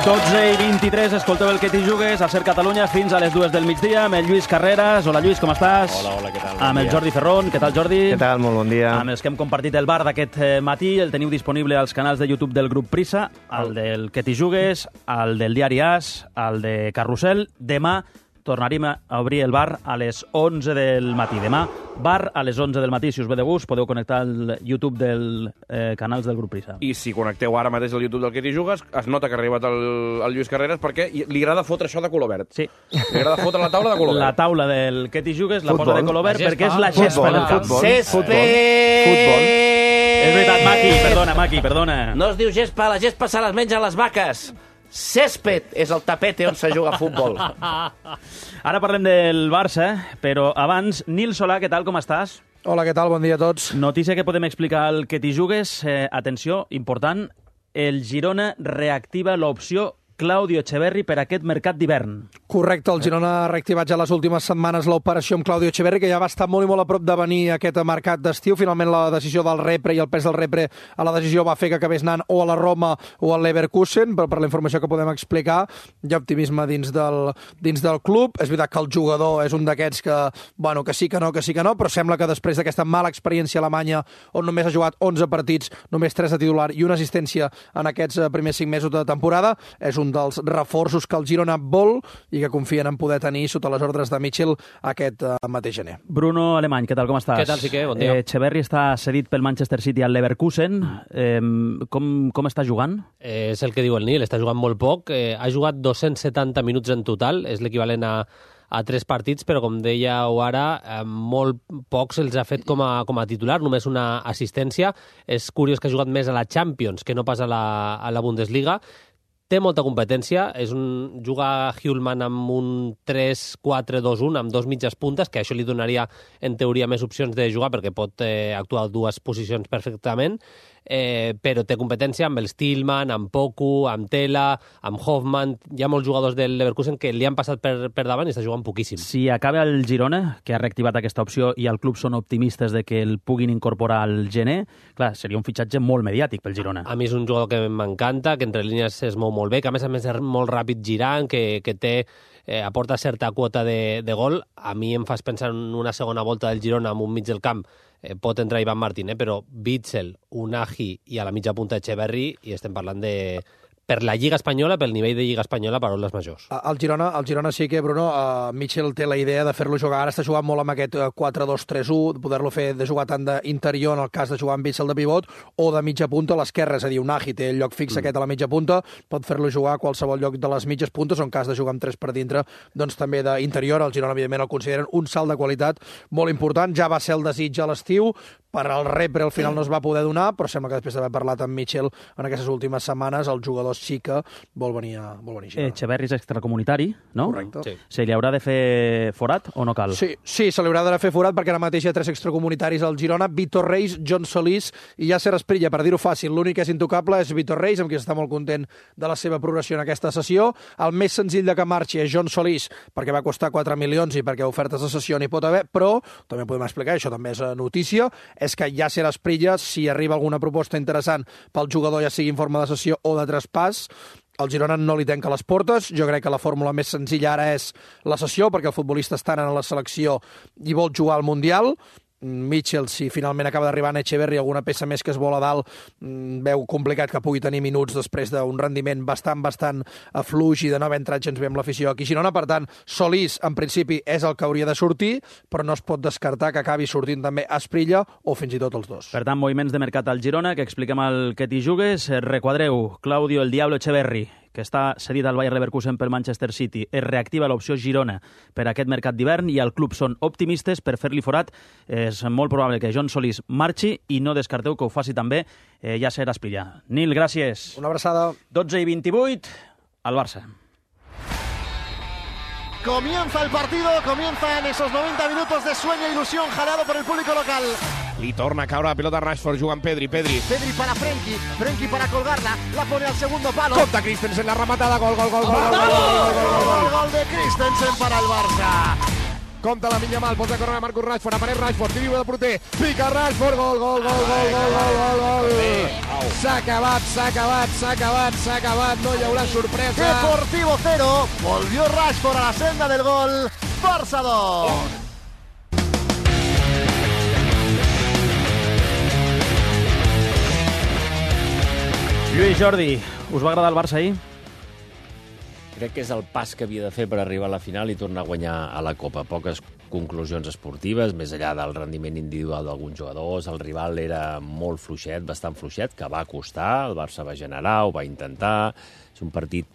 12:23, escolteu el que t'hi jugues a Ser Catalunya fins a les 2 del migdia amb el Lluís Carreras. Hola Lluís, com estàs? Hola, què tal? Amb el Jordi Ferrón, què tal Jordi? Què tal? Molt bon dia. Amb els que hem compartit el bar d'aquest matí, el teniu disponible als canals de YouTube del grup Prisa, el del que t'hi jugues, el del Diari As, el de Carrusel. Demà tornaríem a obrir el bar a les 11 del matí. Demà, bar a les 11 del matí. Si us ve de gust, podeu connectar al YouTube dels canals del grup Prisa. I si connecteu ara mateix al YouTube del que t'hi jugues, es nota que ha arribat el Lluís Carreras perquè li agrada fotre això de color verd. Sí. Li agrada fotre la taula de color verd. La taula del que t'hi jugues la Futbol. posa de color verd La perquè és la Futbol, gespa del camp. futbol. Césped! És veritat, Maqui, perdona. No es diu gespa, la gespa se les mengen les vaques. Césped és el tapete on se juga a futbol. Ara parlem del Barça, però abans, Nil Solà, què tal, com estàs? Hola, què tal? Bon dia a tots. Notícia que podem explicar al que t'hi jugues. Atenció, important, el Girona reactiva l'opció Claudio Echeverri per aquest mercat d'hivern. Correcte, el Girona ha reactivat ja les últimes setmanes l'operació amb Claudio Echeverri, que ja va estar molt i molt a prop de venir aquest mercat d'estiu. Finalment la decisió del Repre i el pes del Repre a la decisió va fer que acabés anant o a la Roma o al Leverkusen, però per la informació que podem explicar hi ha optimisme dins del club. És veritat que el jugador és un d'aquests que, bueno, que sí que no, però sembla que després d'aquesta mala experiència a Alemanya, on només ha jugat 11 partits, només 3 de titular i una assistència en aquests primers 5 mesos de temporada, és un dels reforços que el Girona vol i que confien en poder tenir sota les ordres de Mitchell aquest mateix gener. Bruno Alemany, què tal, com estàs? Què tal, Sique? Bon dia. Echeverri està cedit pel Manchester City al Leverkusen. Com està jugant? És el que diu el Nil, està jugant molt poc. Ha jugat 270 minuts en total, és l'equivalent a 3 partits, però com dèieu ara, molt pocs els ha fet com a titular, només una assistència. És curiós que ha jugat més a la Champions que no pas a la Bundesliga. Té molta competència, juga Hjulman amb un 3-4-2-1, amb 2 mitges puntes, que això li donaria, en teoria, més opcions de jugar, perquè pot actuar a 2 posicions perfectament, però té competència amb el Stillman, amb Poku, amb Tela, amb Hoffman. Hi ha molts jugadors del Leverkusen que li han passat per davant i està jugant poquíssim. Si acaba el Girona, que ha reactivat aquesta opció, i el club són optimistes de que el puguin incorporar al gener, clar, seria un fitxatge molt mediàtic pel Girona. A mi és un jugador que m'encanta, que entre línies es mou molt bé, que a més és molt ràpid girant, que té aporta certa quota de gol. A mi em fas pensar en una segona volta del Girona amb un mig del camp. Pot entrar Ivan Martín, però Witsel, Unai i a la mitja punta Echeverri, i estem parlant de... Per la Lliga Espanyola, pel nivell de Lliga Espanyola, paraules majors. El Girona sí que, Bruno, Mitchell té la idea de fer-lo jugar. Ara està jugant molt amb aquest 4-2-3-1, de poder-lo fer de jugar tant d'interior en el cas de jugar amb Witsel de pivot o de mitja punta a l'esquerra, és a dir, Unai té el lloc fix aquest a la mitja punta, pot fer-lo jugar a qualsevol lloc de les mitges puntes, o en cas de jugar amb 3 per dintre, doncs també d'interior. El Girona, evidentment, el consideren un salt de qualitat molt important. Ja va ser el desig a l'estiu, per al Repre al final no es va poder donar, però sembla que després d'haver parlat amb Mitchell en aquestes últimes setmanes, el jugador sí que vol venir a Girona. Echeverri és extracomunitari, no? Correcte. Sí. Se li haurà de fer forat o no cal? Sí, se li haurà de fer forat perquè ara mateix hi ha 3 extracomunitaris al Girona, Vitor Reis, John Solís i Yasser Asprilla, per dir-ho fàcil. L'únic que és intocable és Vitor Reis, amb qui està molt content de la seva progressió en aquesta sessió. El més senzill de que marxi és John Solís, perquè va costar 4 milions i perquè ofertes de cessió n'hi pot haver, però també podem explicar, això també és notícia, és que Yasser Asprilla, si arriba alguna proposta interessant pel jugador, ja sigui en forma de cessió o de traspàs, el Girona no li tanca les portes. Jo crec que la fórmula més senzilla ara és la cessió, perquè el futbolista està en la selecció i vol jugar al Mundial. Mitchell, si finalment acaba d'arribar en Echeverri, alguna peça més que es vol a dalt, veu complicat que pugui tenir minuts després d'un rendiment bastant fluix i de no haver entrat gens bé amb l'afició aquí a Girona. Per tant, Solís, en principi, és el que hauria de sortir, però no es pot descartar que acabi sortint també Asprilla o fins i tot els dos. Per tant, moviments de mercat al Girona, que expliquem el que t'hi jugues. Requadreu, Claudio el Diablo Echeverri, que està cedit al Bayer Leverkusen pel Manchester City. Es reactiva l'opció Girona per aquest mercat d'hivern i el club són optimistes per fer-li forat. És molt probable que John Solís marxi i no descarteu que ho faci també Yasser Asprilla. Nil, gràcies. Una abraçada. 12:28, al Barça. Comienza el partido, comienzan esos 90 minutos de sueño e ilusión jalado por el público local. Li torna a caure la pilota a Rashford, jugant Pedri. Pedri para Frenkie para colgarla, la pone al segundo palo. Compta Christensen, la rematada, gol. Gol de Christensen para el Barça. compta la Minyamal, posa a córrer a Marcus Rashford, apareix Rashford, tiri de porter, pica Rashford, gol. S'ha acabat, no hi haurà sorpresa. Deportivo 0, volvió Rashford a la senda del gol, Barça 2. Lluís, Jordi, us va agradar el Barça ahir? Crec que és el pas que havia de fer per arribar a la final i tornar a guanyar a la Copa. Poques conclusions esportives, més enllà del rendiment individual d'alguns jugadors. El rival era molt fluixet, bastant fluixet, que va costar. El Barça va generar, ho va intentar. És un partit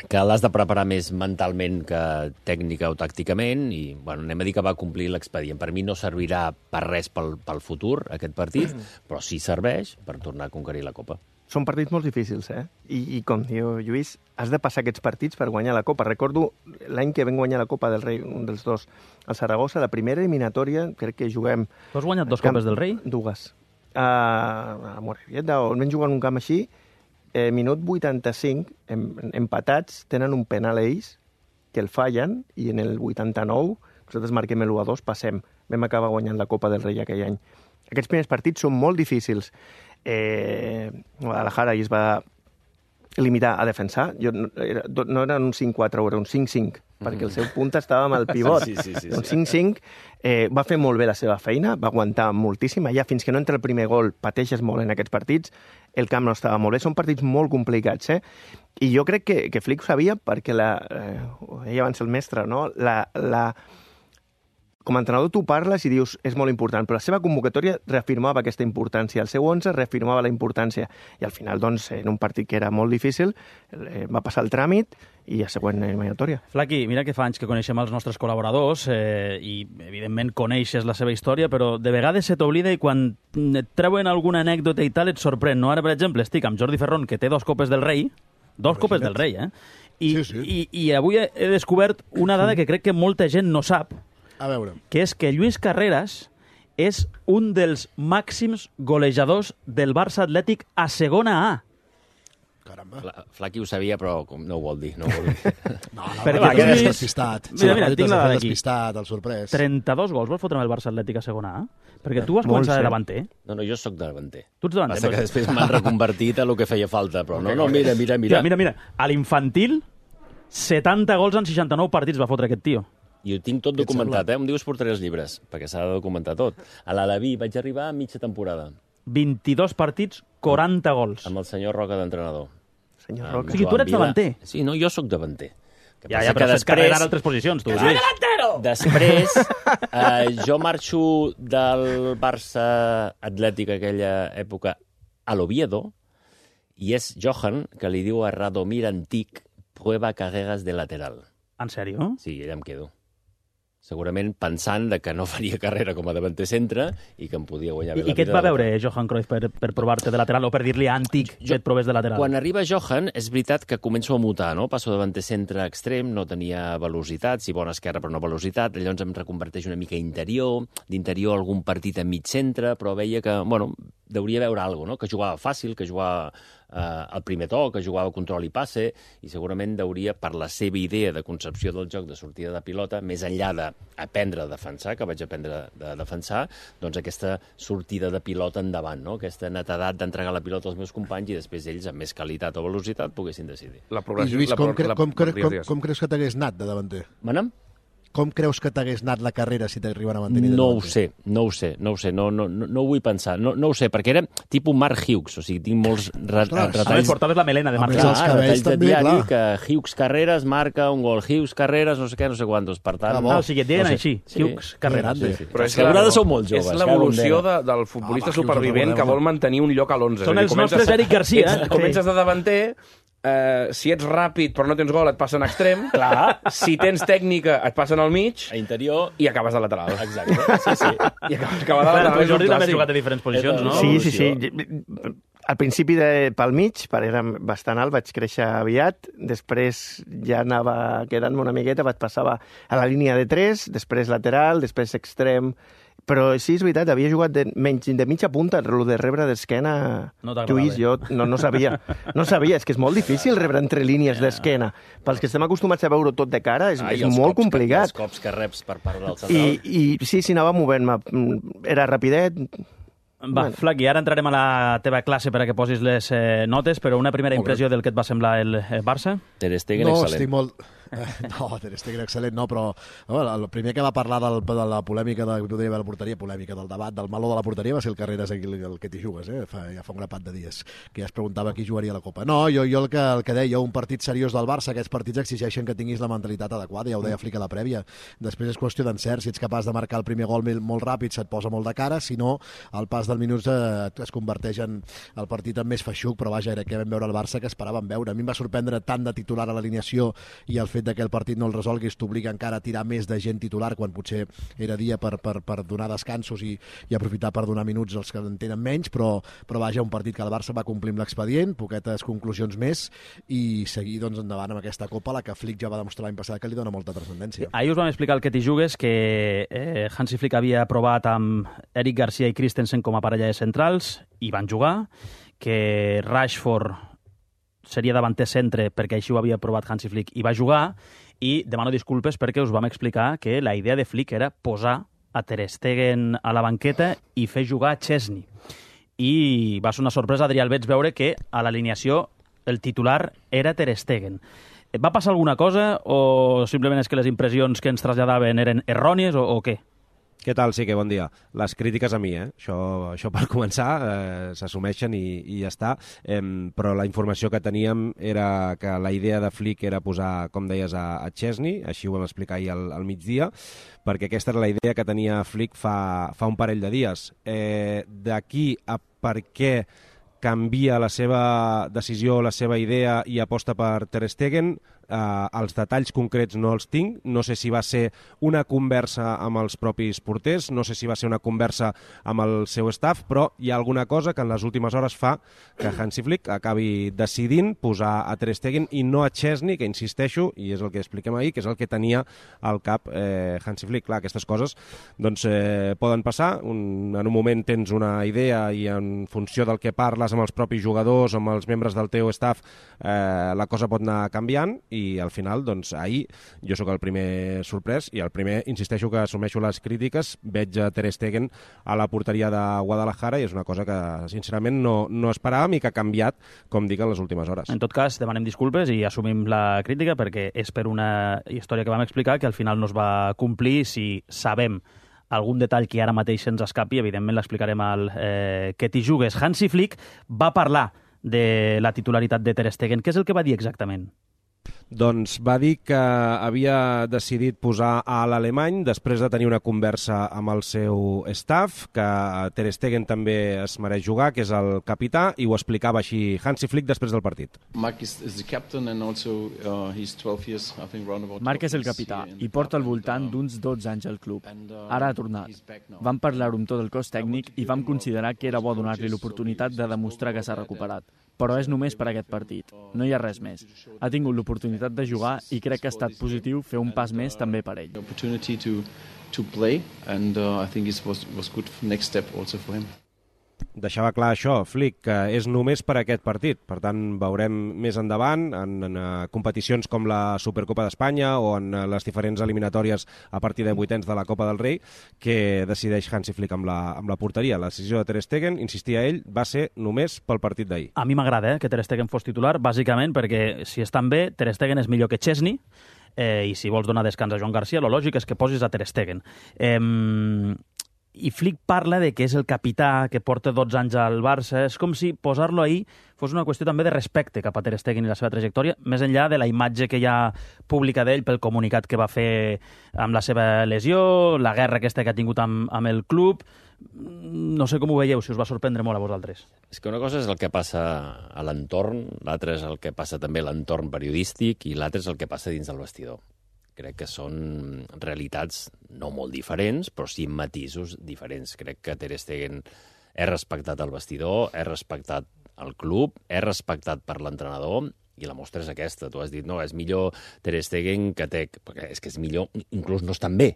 que l'has de preparar més mentalment que tècnica o tàcticament i, bueno, anem a dir que va complir l'expedient. Per mi no servirà per res pel futur, aquest partit, però sí serveix per tornar a conquerir la Copa. Són partits molt difícils, I com diu Lluís, has de passar aquests partits per guanyar la Copa. Recordo l'any que vam guanyar la Copa del Rei, un dels dos, al Saragossa, la primera eliminatòria, crec que juguem... Tu has guanyat 2 Copes del Rei? Dues. A Morevieta, on vam jugar en un camp així, minut 85, empatats, tenen un penal ells, que el fallen, i en el 89, nosaltres marquem l'1-2, passem. Vam acabar guanyant la Copa del Rei aquell any. Aquests primers partits són molt difícils. Guadalajara es va limitar a defensar. No era un 5-4, era un 5-5, perquè el seu punt estava amb el pivot. Sí. Un 5-5 va fer molt bé la seva feina, va aguantar moltíssim. Allà, fins que no entra el primer gol, pateixes molt en aquests partits. El camp no estava molt bé. Són partits molt complicats, I jo crec que Flick ho sabia perquè ho deia abans el mestre, no? Com a entrenador tu parles i dius és molt important, però la seva convocatòria reafirmava aquesta importància, el seu 11 reafirmava la importància, i al final, doncs, en un partit que era molt difícil, va passar el tràmit i a següent eliminatòria. Flaqui, mira que fa anys que coneixem els nostres col·laboradors i, evidentment, coneixes la seva història, però de vegades se t'oblida i quan et treuen alguna anècdota i tal et sorprèn, no? Ara, per exemple, estic amb Jordi Ferrón, que té 2 Copes del Rei, 2 Copes del Rei, I avui he descobert una dada que crec que molta gent no sap, A veure. que és que Lluís Carreras és un dels màxims golejadors del Barça Atlètic a segona A. Caramba. Flaqui ho sabia, però no ho vol dir. No, Perquè Va, tu, que és Lluís- despistat. Mira, tinc la dada aquí. Despistat, el sorprès. 32 gols vas fotre amb el Barça Atlètic a segona A? Perquè tu vas Molt començar de cert. davanter. No, jo sóc davanter. Tu ets davanter. Passa que després m'han reconvertit a lo que feia falta, però no, mira. Mira. A l'infantil, 70 gols en 69 partits va fotre aquest tio. I ho tinc tot documentat, Un dia us portaré els llibres, perquè s'ha de documentar tot. A l'Alaví vaig arribar a mitja temporada, 22 partits, 40 gols. amb el senyor Roca d'entrenador. Senyor Amb Roca. O sigui, tu Joan eres Vila. davanter. Sí, no, jo sóc davanter. Que Ja, passa però que és carrera en altres posicions, tu. Lluís. Després, jo marxo del Barça Atlètic aquella època a l'Oviedo, i és Johan que li diu a Radomir Antic prueba carreras de lateral. En sèrio? Sí, allà em quedo. Segurament pensant de que no faria carrera com a davanter centre i que em podia guanyar bé la I què et vida va de veure Johan Cruyff per provar-te de lateral o per dir-li a Antic que et provés de lateral? Quan arriba Johan, és veritat que començo a mutar, no? Passo davanter centre extrem, no tenia velocitat, sí, bona esquerra però no velocitat, llavors em reconverteix una mica interior, d'interior algun partit a mig centre, però veia que, bueno, deuria veure alguna cosa, no? Que jugava fàcil, que jugava al primer to, que jugava control i passe, i segurament deuria, per la seva idea de concepció del joc de sortida de pilota, més enllà d'aprendre a defensar, que vaig aprendre a defensar, doncs aquesta sortida de pilota endavant, no? Aquesta netedat d'entregar la pilota als meus companys i després ells, amb més qualitat o velocitat, poguessin decidir. La I progressió... Lluís, com digues. creus que t'hagués anat de davanter? Mana'm? Com creus que t'hagués anat la carrera si t'arriben a mantenir de No ho davanter? sé, no ho vull pensar, no ho sé, perquè era tipus Mark Hughes, o sigui, tinc molts retalls... Portaves la melena de A Marc més, els Hughes. cabells retalls de també, diari, clar. que Hughes Carreras marca un gol, Hughes Carreras, no sé què, no sé quantos, per tant... Ah, bo. Ah, o sigui, et deien No sé. així, Sí. Hughes Carreras. grande. Però És que a vegades sou molt joves, És cada l'evolució bandera. del futbolista Home, supervivent Hughes, que vol mantenir un lloc a l'11. Són els nostres Eric Garcia. Comences de davanter, si ets ràpid però no tens gol et passen a extrem, Clar. si tens tècnica et passen al mig A interior... i acabes de lateral. Exacte, sí. I acabar de lateral Tu, és un Jordi, també has clàssic. jugat a diferents posicions, no? Sí. Al principi pel mig, era bastant alt, vaig créixer aviat, després ja anava quedant-me una miqueta, passava a la línia de 3, després lateral, després extrem, Però sí, és veritat, havia jugat de mitja punta, el de rebre d'esquena. No t'agradava. Lluís, jo no sabia. No sabia, és que és molt difícil rebre entre línies d'esquena. Pels que estem acostumats a veure tot de cara, és molt complicat. Els cops que reps per part del central. I sí, anava movent-me. Era rapidet. Va, Flaqui, ara entrarem a la teva classe per a que posis les notes, però una primera impressió del que et va semblar el Barça? Ter Stegen, no, excel·lent. estic molt... No, Ter Stegen excel·lent, no, però el primer que va parlar de la polèmica de la porteria, polèmica del debat, del meló de la porteria, va ser el Carreras, el que t'hi jugues, ja fa un grapat de dies, que ja es preguntava qui jugaria la Copa. No, jo el que deia, un partit seriós del Barça, aquests partits exigeixen que tinguis la mentalitat adequada, ja ho deia Flick a la prèvia. Després és qüestió d'encert, si ets capaç de marcar el primer gol molt ràpid, se't posa molt de cara, si no, al pas del minut es converteix en el partit amb més feixuc, però vaja, era que vam veure el Barça que esperàvem veure. A mi em va sorprendre tant de titular a l'alineació i el fet que el partit no el resolguis t'obliga encara a tirar més de gent titular quan potser era dia per donar descansos i aprofitar per donar minuts als que en tenen menys, però vaja, un partit que el Barça va complir amb l'expedient, poquetes conclusions més i seguir doncs, endavant amb aquesta Copa, la que Flick ja va demostrar l'any passat que li dona molta transcendència. Ahir us vam explicar el que t'hi jugues, que Hansi Flick havia provat amb Eric Garcia i Christensen com a parella de centrals i van jugar, que Rashford seria davanter centre perquè així ho havia provat Hansi Flick i va jugar, i demano disculpes perquè us vam explicar que la idea de Flick era posar a Ter Stegen a la banqueta i fer jugar a Chesney. I va ser una sorpresa, Adrià Albets, veure que a l'alineació el titular era Ter Stegen. Va passar alguna cosa o simplement és que les impressions que ens traslladaven eren errònies o què? Què tal? Sí, que bon dia. Les crítiques a mi, Això per començar, s'assumeixen i ja està. Però la informació que teníem era que la idea de Flick era posar, com deies, a Chesney, així ho vam explicar ahir al migdia, perquè aquesta era la idea que tenia Flick fa un parell de dies. D'aquí a per què canvia la seva decisió, la seva idea i aposta per Ter Stegen, els detalls concrets no els tinc, no sé si va ser una conversa amb els propis porters, no sé si va ser una conversa amb el seu staff, però hi ha alguna cosa que en les últimes hores fa que Hansi Flick acabi decidint posar a Ter Stegen i no a Chesney, que insisteixo, i és el que expliquem ahir, que és el que tenia al cap Hansi Flick. Clar, aquestes coses doncs, poden passar, en un moment tens una idea i en funció del que parles amb els propis jugadors, amb els membres del teu staff, la cosa pot anar canviant i al final, doncs, ahir jo sóc el primer sorprès i el primer, insisteixo, que assumeixo les crítiques, veig a Ter Stegen a la porteria de Guadalajara i és una cosa que, sincerament, no esperàvem i que ha canviat, com dic, en les últimes hores. En tot cas, demanem disculpes i assumim la crítica perquè és per una història que vam explicar que al final no es va complir. Si sabem algun detall que ara mateix se'ns escapi, evidentment l'explicarem al que t'hi jugues. Hansi Flick va parlar de la titularitat de Ter Stegen. Què és el que va dir exactament? Doncs va dir que havia decidit posar a l'alemany després de tenir una conversa amb el seu staff, que Ter Stegen també es mereix jugar, que és el capità, i ho explicava així Hansi Flick després del partit. Marc és el capità i porta al voltant d'uns 12 anys al club. Ara ha tornat. Vam parlar-ho amb tot el cos tècnic i vam considerar que era bo donar-li l'oportunitat de demostrar que s'ha recuperat. Però és només per aquest partit. No hi ha res més. Ha tingut l'oportunitat de jugar i crec que ha estat positiu fer un pas més també per ell. Deixava clar això, Flick, que és només per aquest partit. Per tant, veurem més endavant en competicions com la Supercopa d'Espanya o en les diferents eliminatòries a partir de vuitens de la Copa del Rei, que decideix Hansi Flick amb la porteria. La decisió de Ter Stegen, insistia ell, va ser només pel partit d'ahir. A mi m'agrada que Ter Stegen fos titular, bàsicament perquè si estan bé, Ter Stegen és millor que Chesney, i si vols donar descans a Joan Garcia, lo lògic és que posis a Ter Stegen. I Flick parla de que és el capità que porta 12 anys al Barça. És com si posar-lo ahí fos una qüestió també de respecte cap a Ter Stegen i la seva trajectòria, més enllà de la imatge que hi ha pública d'ell pel comunicat que va fer amb la seva lesió, la guerra aquesta que ha tingut amb el club. No sé com ho veieu, si us va sorprendre molt a vosaltres. És que una cosa és el que passa a l'entorn, l'altra és el que passa també a l'entorn periodístic i l'altra és el que passa dins del vestidor. Crec que són realitats no molt diferents, però sí matisos diferents. Crec que Ter Stegen és respectat al vestidor, és respectat al club, és respectat per l'entrenador, i la mostra és aquesta. Tu has dit, no, és millor Ter Stegen que Tec, perquè és que és millor, inclús no estan bé.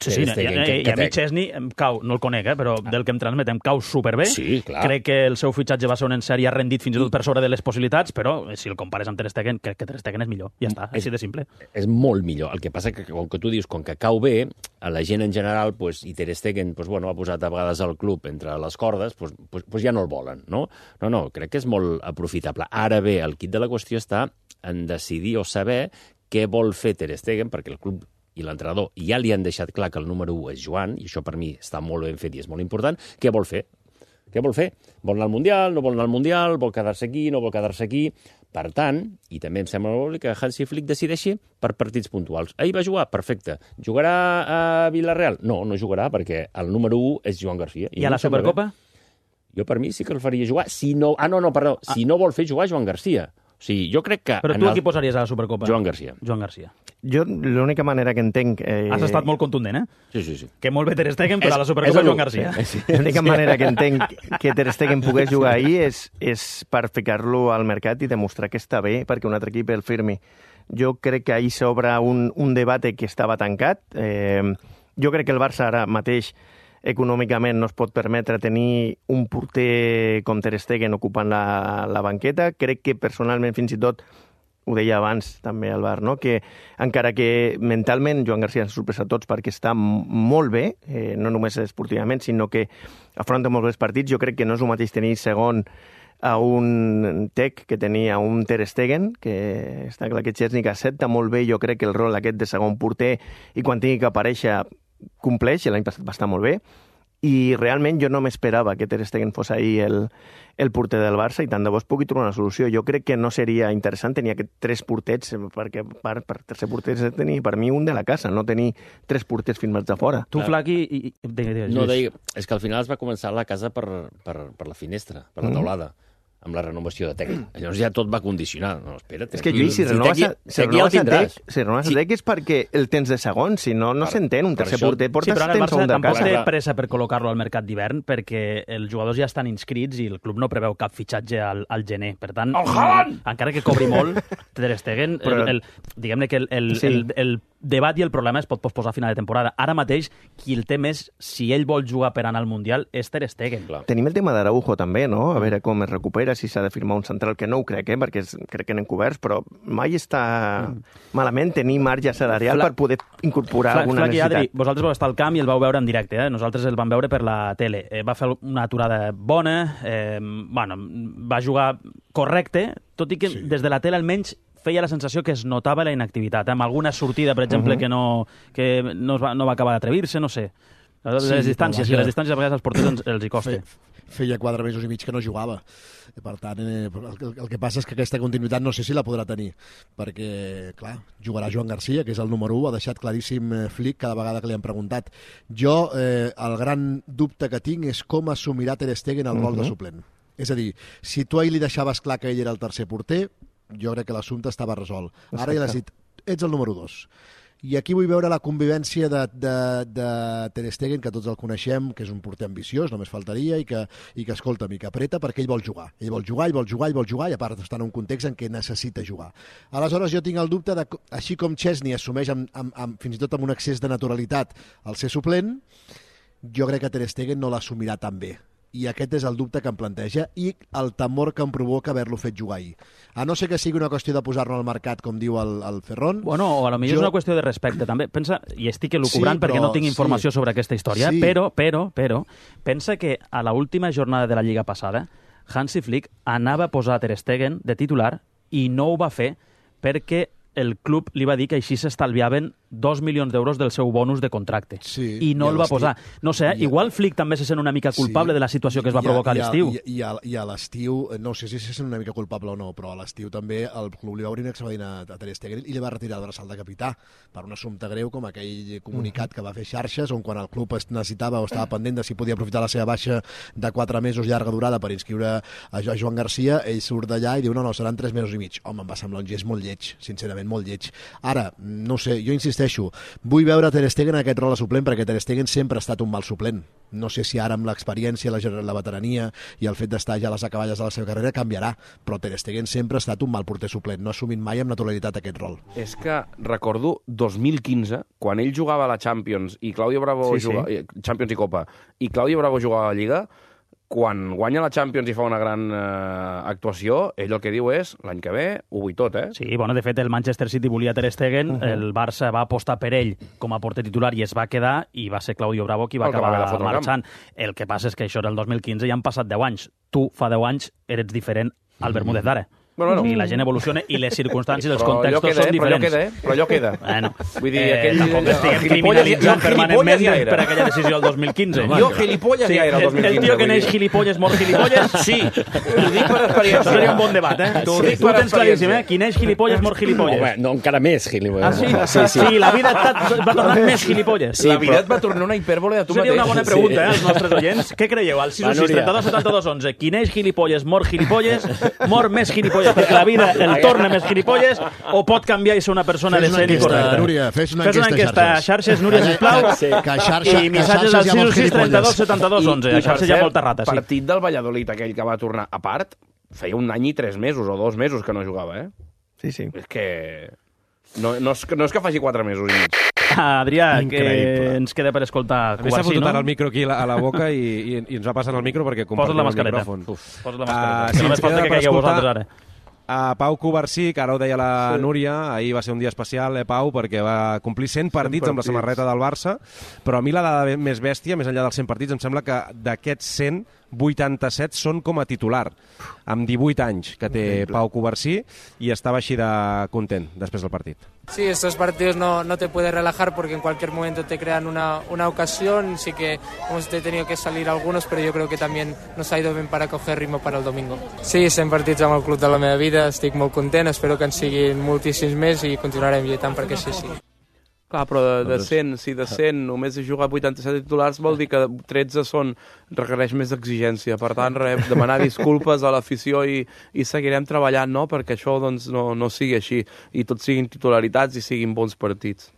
Sí, i a mi Chesney em cau, no el conec, però del que em transmet em cau superbé. Sí, clar. Crec que el seu fitxatge va ser un encert i ha rendit fins i tot per sobre de les possibilitats, però si el compares amb Ter Stegen, crec que Ter Stegen és millor. Ja està, així de simple. És molt millor. El que passa que, com que tu dius, com que cau bé, a la gent en general, pues, i Ter Stegen ha posat a vegades el club entre les cordes, pues ja no el volen, no? No, crec que és molt aprofitable. Ara bé, el quid de la qüestió està en decidir o saber què vol fer Ter Stegen, perquè el club i l'entrenador ja li han deixat clar que el número 1 és Joan, i això per mi està molt ben fet i és molt important. Què vol fer? Vol anar al Mundial, no vol anar al Mundial, vol quedar-se aquí, no vol quedar-se aquí. Per tant, i també em sembla molt que Hansi Flick decideixi per partits puntuals. Ahir va jugar? Perfecte. Jugarà a Villarreal? No jugarà, perquè el número 1 és Joan Garcia. I a la Supercopa? Jo per mi sí que el faria jugar. Si no vol fer jugar Joan Garcia. O sigui, jo crec que... Però tu a qui posaries a la Supercopa? Joan Garcia. Jo l'única manera que entenc... Has estat molt contundent, eh? Sí. Que molt bé Ter Stegen, però a la Supercopa Joan Garcia. L'única manera que entenc que Ter Stegen pogués jugar ahir és per ficar-lo al mercat i demostrar que està bé perquè un altre equip el firmi. Jo crec que ahir s'obre un debat que estava tancat. Jo crec que el Barça ara mateix econòmicament no es pot permetre tenir un porter com Ter Stegen ocupant la banqueta. Crec que personalment, fins i tot, ho deia abans també al bar, no? Que encara que mentalment Joan Garcia ens sorpresa a tots perquè està molt bé, no només esportivament, sinó que afronta molts bons partits, jo crec que no és el mateix tenir segon a un Tec que tenia un Ter Stegen, que està clar que Chesney accepta molt bé, jo crec que el rol aquest de segon porter, i quan tingui que aparèixer compleix, i l'any passat va estar molt bé, i realment jo no m'esperava que Ter Stegen fos ahir el porter del Barça, i tant de bo es pugui trobar una solució. Jo crec que no seria interessant tenir aquests 3 porters, perquè per tercer porter és tenir, per mi, un de la casa, no tenir 3 porters filmats de fora. Tu, Flaqui... No, és que al final es va començar la casa per la finestra, per la teulada, amb la renovació de Tec. Llavors ja tot va condicionar. No, espera't. És que, Lluís, si renoves a Tec és perquè el tens de segon, si no s'entén un tercer porter. Sí, però ara el Barça tampoc té pressa per col·locar-lo al mercat d'hivern perquè els jugadors ja estan inscrits i el club no preveu cap fitxatge al gener. Per tant, encara que cobri molt, Ter Stegen, diguem-ne que el debat i el problema es pot posposar a final de temporada. Ara mateix, qui el té més, si ell vol jugar per anar al Mundial, és Ter Stegen. Tenim el tema d'Araujo també, no? A veure com es recupera, si s'ha de firmar un central, que no ho crec, perquè crec que n'hem coberts, però mai està malament tenir marge salarial per poder incorporar alguna necessitat. Adri, vosaltres vau estar al camp i el vau veure en directe, nosaltres el vam veure per la tele. Va fer una aturada bona, va jugar correcte, tot i que des de la tele almenys feia la sensació que es notava la inactivitat, amb alguna sortida, per exemple, que no va acabar d'atrevir-se, no sé. Les distàncies a vegades als porters els hi costa. Feia 4 mesos i mig que no jugava. Per tant, el que passa és que aquesta continuïtat no sé si la podrà tenir, perquè, clar, jugarà Joan Garcia, que és el número 1, ha deixat claríssim Flick cada vegada que li han preguntat. Jo, el gran dubte que tinc és com assumirà Ter Stegen el rol de suplent. És a dir, si tu ahir li deixaves clar que ell era el tercer porter, jo crec que l'assumpte estava resolt. Ara ja l'has dit, ets el número 2. I aquí vull veure la convivència de Ter Stegen, que tots el coneixem, que és un porter ambiciós, només faltaria, i que escolta'm, i que apreta perquè ell vol jugar. Ell vol jugar, i a part està en un context en què necessita jugar. Aleshores jo tinc el dubte de, així com Chesney assumeix fins i tot amb un excés de naturalitat el ser suplent, jo crec que Ter Stegen no l'assumirà tan bé. I aquest és el dubte que em planteja i el temor que em provoca haver-lo fet jugar ahir. A no ser que sigui una qüestió de posar-lo al mercat, com diu el Ferron... Bueno, o potser és una qüestió de respecte, també. Pensa, i estic elucubrant perquè no tinc informació sobre aquesta història, però, pensa que a l'última jornada de la Lliga passada, Hansi Flick anava a posar Ter Stegen de titular i no ho va fer perquè el club li va dir que així s'estalviaven 2 milions d'euros del seu bonus de contracte. Sí, I no el va posar. No sé, igual Flick també se sent una mica culpable de la situació que es va provocar a l'estiu. I a l'estiu, no sé si se sent una mica culpable o no, però a l'estiu també el club li va obrir un expedient a Ter Stegen i li va retirar el braçal de capità per un assumpte greu com aquell comunicat que va fer xarxes on quan el club es necessitava o estava pendent de si podia aprofitar la seva baixa de 4 mesos llarga durada per inscriure a Joan Garcia, ell surt d'allà i diu no, seran 3 mesos i mig. Home, em va semblar un gest molt lleig, sincerament molt lleig. Ara, no sé, jo insisteixo insisteixo, vull veure Ter Stegen en aquest rol de suplent, perquè Ter Stegen sempre ha estat un mal suplent. No sé si ara amb l'experiència, la veterania i el fet d'estar ja a les acaballes de la seva carrera canviarà, però Ter Stegen sempre ha estat un mal porter suplent, no ha assumit mai amb naturalitat aquest rol. És que recordo 2015, quan ell jugava a la Champions i Claudio Bravo Champions i Copa, i Claudio Bravo jugava a la Lliga, quan guanya la Champions i fa una gran actuació, ell el que diu és, l'any que ve, ho vull tot, eh? Sí, bueno, de fet, el Manchester City volia Ter Stegen, el Barça va apostar per ell com a porter titular i es va quedar, i va ser Claudio Bravo qui va acabar marxant. El que passa és que això era el 2015 i han passat 10 anys. Tu, fa 10 anys, eres diferent al Bermúdez d'ara. Bueno, i la gent evoluciona i les circumstàncies, els contextos són diferents. Però allò queda. Bueno, vull dir, aquell... Tampoc estiguem criminalitzant permanentment per aquella decisió del 2015. Jo gilipolles ja era el 2015. El tio que neix gilipolles mor gilipolles? Sí. Ho dic per experiència. Seria un bon debat, eh? Tu ho tens claríssim, eh? Qui neix gilipolles mor gilipolles. Home, no, encara més gilipolles. Ah, sí? Sí, la vida va tornar més gilipolles. La vida et va tornar una hipèrbole de tu mateix. Seria una bona pregunta, als nostres oients. Què creieu? Al 6 32 72 11. Qui neix gilipolles mor gilipolles, mor més gilipolles, perquè la vida el torna més gilipolles, o pot canviar i ser una persona decent i correcta? Núria, fes una enquesta a xarxes, Núria, sisplau, i missatges al 6 32 72 11. A xarxes hi ha molta rata, sí. El partit del Valladolid, aquell que va tornar a part, feia 1 any i 3 mesos o 2 mesos que no jugava, eh? Sí. És que... No és que faci 4 mesos i mig. Adrià, que ens queda per escoltar Covarsí, no? M'he fotut el micro aquí a la boca i ens va passant el micro perquè compartim el micròfon. Posa't la mascareta. Que només falta que caigueu vosaltres ara. A Pau Covarsí, que ara ho deia la Núria, ahir va ser un dia especial, Pau, perquè va complir 100 partits amb la samarreta del Barça, però a mi la dada més bèstia, més enllà dels 100 partits, em sembla que d'aquests 100, 87 són com a titular, amb 18 anys que té Pau Covarsí, i estava així de content després del partit. Sí, estos partidos no te puedes relajar porque en cualquier momento te crean una ocasión. Sí que hemos tenido que salir algunos, pero yo creo que también nos ha ido bien para coger ritmo para el domingo. Sí, 100 partits amb el club de la meva vida, estic molt content, espero que en siguin moltíssims més i continuarem lluitant perquè sí. Clar, però de 100, si de 100 només he jugat 87 titulars, vol dir que 13 requereix més exigència. Per tant, demanar disculpes a l'afició i seguirem treballant, no?, perquè això doncs, no sigui així i tots siguin titularitats i siguin bons partits.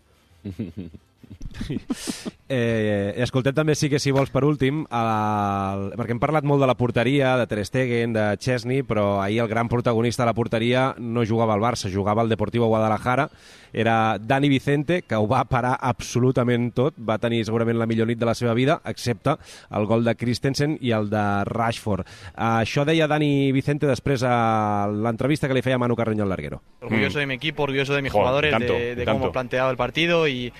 Escoltem també, sí que si vols, per últim, perquè hem parlat molt de la porteria, de Ter Stegen, de Chesney, però ahir el gran protagonista de la porteria no jugava al Barça, jugava al Deportivo Guadalajara, era Dani Vicente, que ho va parar absolutament tot, va tenir segurament la millor nit de la seva vida, excepte el gol de Christensen i el de Rashford. Això deia Dani Vicente després a l'entrevista que li feia Manu Carreño al larguero. Orgulloso de mi equipo, orgulloso de mis jugadores, de cómo hemos planteado el partido y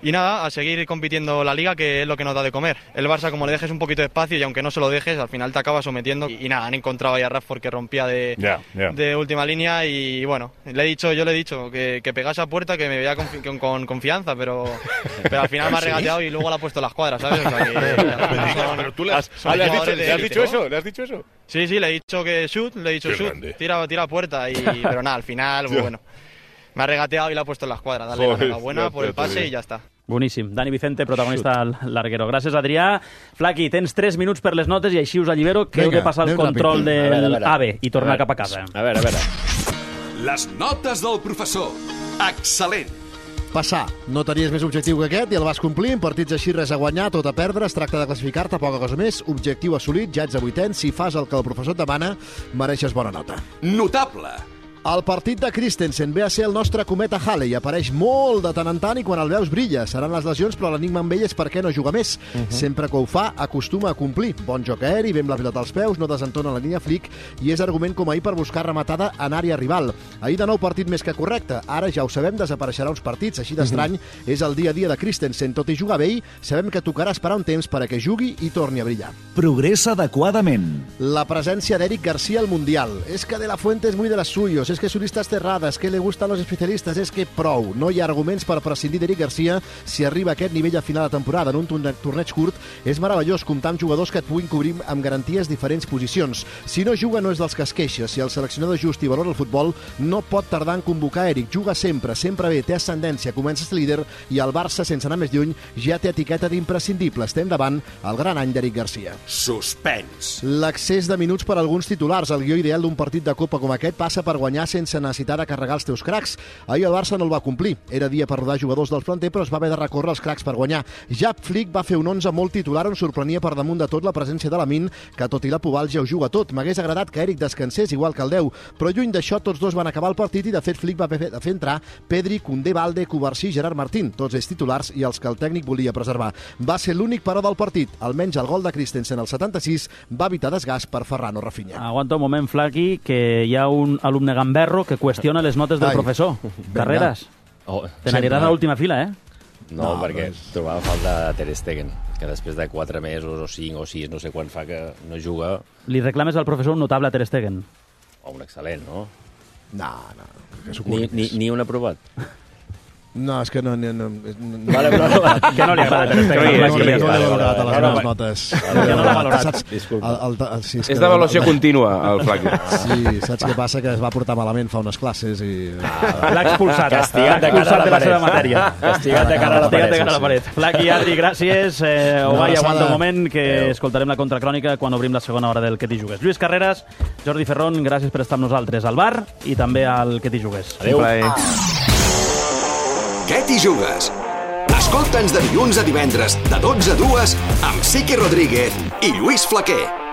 nada, a seguir compitiendo la Liga, que es lo que nos da de comer. El Barça, como le dejes un poquito de espacio y aunque no se lo dejes, al final te acabas sometiendo. Y nada, han encontrado ahí a Rashford que rompía de última línea y bueno, yo le he dicho que pegase a puerta, que me veía con confianza, pero al final me ha regateado y luego le ha puesto las cuadras, ¿sabes? O sea que, pero tú ¿le has dicho eso? ¿Le has dicho eso? Sí, le he dicho que shoot, tira a puerta, pero nada, al final, bueno. Me ha regateado y le ha puesto en la escuadra. Dale la enhorabuena por el pase i ja està. Boníssim. Dani Vicente, protagonista al larguero. Gràcies, Adrià. Flaqui, tens 3 minuts per les notes i així us allibero que heu de passar el control del AVE i tornar cap a casa. A veure. Les notes del professor. Excel·lent. Passar. No tenies més objectiu que aquest i el vas complir. En partits així, res a guanyar, tot a perdre. Es tracta de classificar-te, poca cosa més. Objectiu assolit, ja ets a 8è. Si fas el que el professor et demana, mereixes bona nota. Notable. El partit de Christensen ve a ser el nostre cometa Halley. Apareix molt de tant en tant i quan el veus brilla. Seran les lesions, però l'enigma amb ell és per què no juga més. Sempre que ho fa, acostuma a complir. Bon joc aeri, ve amb la pilota als peus, no desentona la línia flic i és argument com ahir per buscar rematada en àrea rival. Ahir de nou partit més que correcte. Ara ja ho sabem, desapareixerà uns partits. Així d'estrany és el dia a dia de Christensen. Tot i jugar bé, sabem que tocarà esperar un temps perquè jugui i torni a brillar. Progressa adequadament. La presència d'Eric García al Mundial. És que De La Fuente és muy de las suyos. Es que su lista es cerrada, es que le gustan los especialistas, es que prou. No hi ha arguments per prescindir d'Eric García si arriba a aquest nivell a final de temporada. En un torneig curt és meravellós comptar amb jugadors que et puguin cobrir amb garanties diferents posicions. Si no juga no és dels que es queixa. Si el seleccionador just i valora el futbol, no pot tardar en convocar Eric. Juga sempre bé, té ascendència, comença a ser líder i el Barça, sense anar més lluny, ja té etiqueta d'imprescindible. Estem davant el gran any d'Eric García. Suspens. L'accés de minuts per a alguns titulars. El guió ideal d'un partit de Copa com aquest passa per guanyar guanyar sense necessitar de carregar els teus cracs. Ahir el Barça no el va complir. Era dia per rodar jugadors del planter, però es va haver de recórrer els cracs per guanyar. Ja Flick va fer un 11 molt titular on sorprenia per damunt de tot la presència de Lamine, que tot i la Pobal ja ho juga tot. M'hagués agradat que Eric descansés igual que el 10, però lluny d'això tots dos van acabar el partit i de fet Flick va fer entrar Pedri, Koundé, Balde, Cubarsí i Gerard Martín, tots ells titulars i els que el tècnic volia preservar. Va ser l'únic però del partit. Almenys el gol de Christensen al 76 va evitar desgast per Ferran o Rafinha. Aguanta un moment, Flaqui, que hi ha un alumne gamberro que qüestiona les notes del professor. Carreras. Te n'aniràs a l'última fila, eh? No, perquè trobava falta de Ter Stegen, que després de 4 mesos o 5 o 6, no sé quan fa que no juga... Li reclames al professor un notable a Ter Stegen? O un excel·lent, no? No. Ni un aprovat? No, és que no... Vale, però... Que no li agrada Ter Stegen. No li ha valorat a les meves notes. Que no l'ha valorat. És d'avaluació contínua, el Flaqui. Sí, saps què passa? Que es va portar malament fa unes classes i... L'ha expulsat. Castigat de cara a la paret. Castigat de cara a la paret. Flaqui, Adri, gràcies. Ovai, aguanta un moment, que escoltarem la contracrònica quan obrim la segona hora del Que t'hi jugues. Lluís Carreras, Jordi Ferrón, gràcies per estar amb nosaltres al bar i també al Que t'hi jugues. Adéu. Què t'hi jugues? Escolta'ns de dilluns a divendres, de 12 a 2, amb Siqui Rodríguez i Lluís Flaquer.